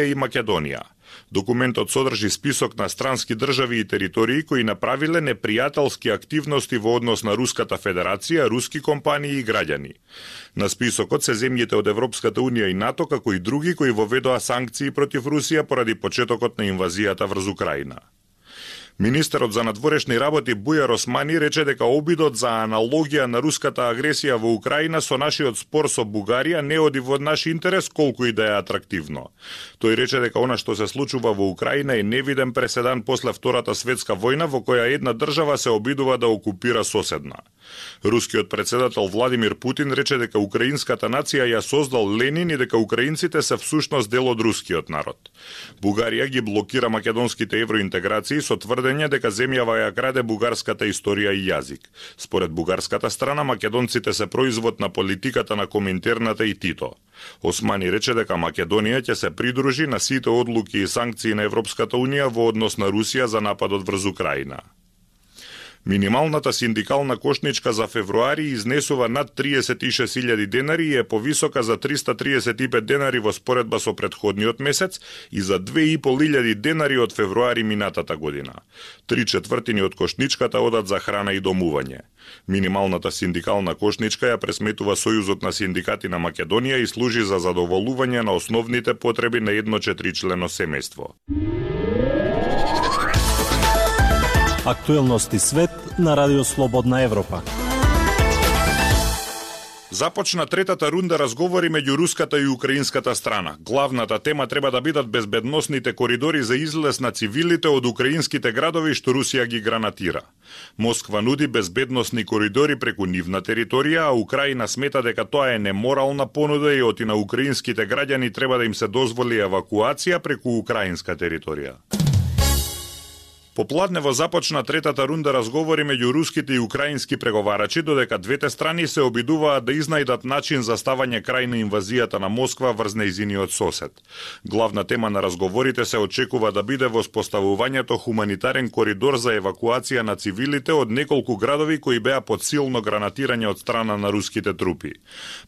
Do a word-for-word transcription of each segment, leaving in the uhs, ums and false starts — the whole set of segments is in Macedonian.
и Македонија. Документот содржи список на странски држави и територии кои направиле непријателски активности во однос на Руската Федерација, руски компании и граѓани. На списокот се земјите од Европската Унија и НАТО, како и други кои воведоа санкции против Русија поради почетокот на инвазијата врз Украина. Министерот за надворешни работи Бујар Османи рече дека обидот за аналогија на руската агресија во Украина со нашиот спор со Бугарија не оди во наш интерес колку и да е атрактивно. Тој рече дека она што се случува во Украина е невиден преседан после Втората светска војна во која една држава се обидува да окупира соседна. Рускиот председател Владимир Путин рече дека украинската нација ја создал Ленин и дека украинците се всушност дел од рускиот народ. Бугарија ги блокира македонските евроинтеграции со тврдење дека земјава ја краде бугарската историја и јазик. Според бугарската страна, македонците се производ на политиката на Коминтерната и Тито. Османи рече дека Македонија ќе се придружи на сите одлуки и санкции на Европската Унија во однос на Русија за нападот врз Украина. Минималната синдикална кошничка за февруари изнесува над триесет и шест илјади денари и е повисока за триста триесет и пет денари во споредба со претходниот месец и за две и пол илјади денари од февруари минатата година. Три четвртини од кошничката одат за храна и домување. Минималната синдикална кошничка ја пресметува Сојузот на синдикати на Македонија и служи за задоволување на основните потреби на едно четиричлено семејство. Актуелности свет на Радио Слободна Европа. Започна третата рунда разговори меѓу руската и украинската страна. Главната тема треба да бидат безбедносните коридори за излез на цивилите од украинските градови што Русија ги гранатира. Москва нуди безбедносни коридори преку нивна територија, а Украина смета дека тоа е неморална понуда и оти на украинските граѓани треба да им се дозволи евакуација преку украинска територија. Попладнево започна третата рунда разговори меѓу руските и украински преговарачи, додека двете страни се обидуваат да изнајдат начин за ставање крај на инвазијата на Москва врз нејзиниот сосед. Главна тема на разговорите се очекува да биде воспоставувањето хуманитарен коридор за евакуација на цивилите од неколку градови кои беа под силно гранатирање од страна на руските трупи.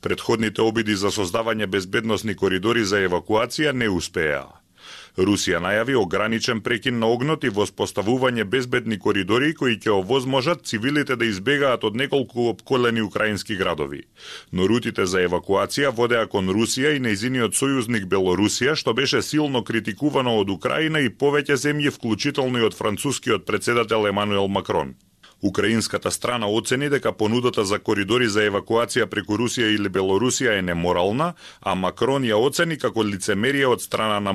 Предходните обиди за создавање безбедносни коридори за евакуација не успеа. Русија најави ограничен прекин на огнот и воспоставување безбедни коридори кои ќе овозможат цивилите да избегаат од неколку опколени украински градови. Но рутите за евакуација водеа кон Русија и нејзиниот сојузник Белорусија, што беше силно критикувано од Украина и повеќе земји, вклучително и од францускиот председател Емануел Макрон. Украинската страна оцени дека понудата за коридори за евакуација преку Русија или Белорусија е неморална, а Макрон ја оцени како лицемерие од страна на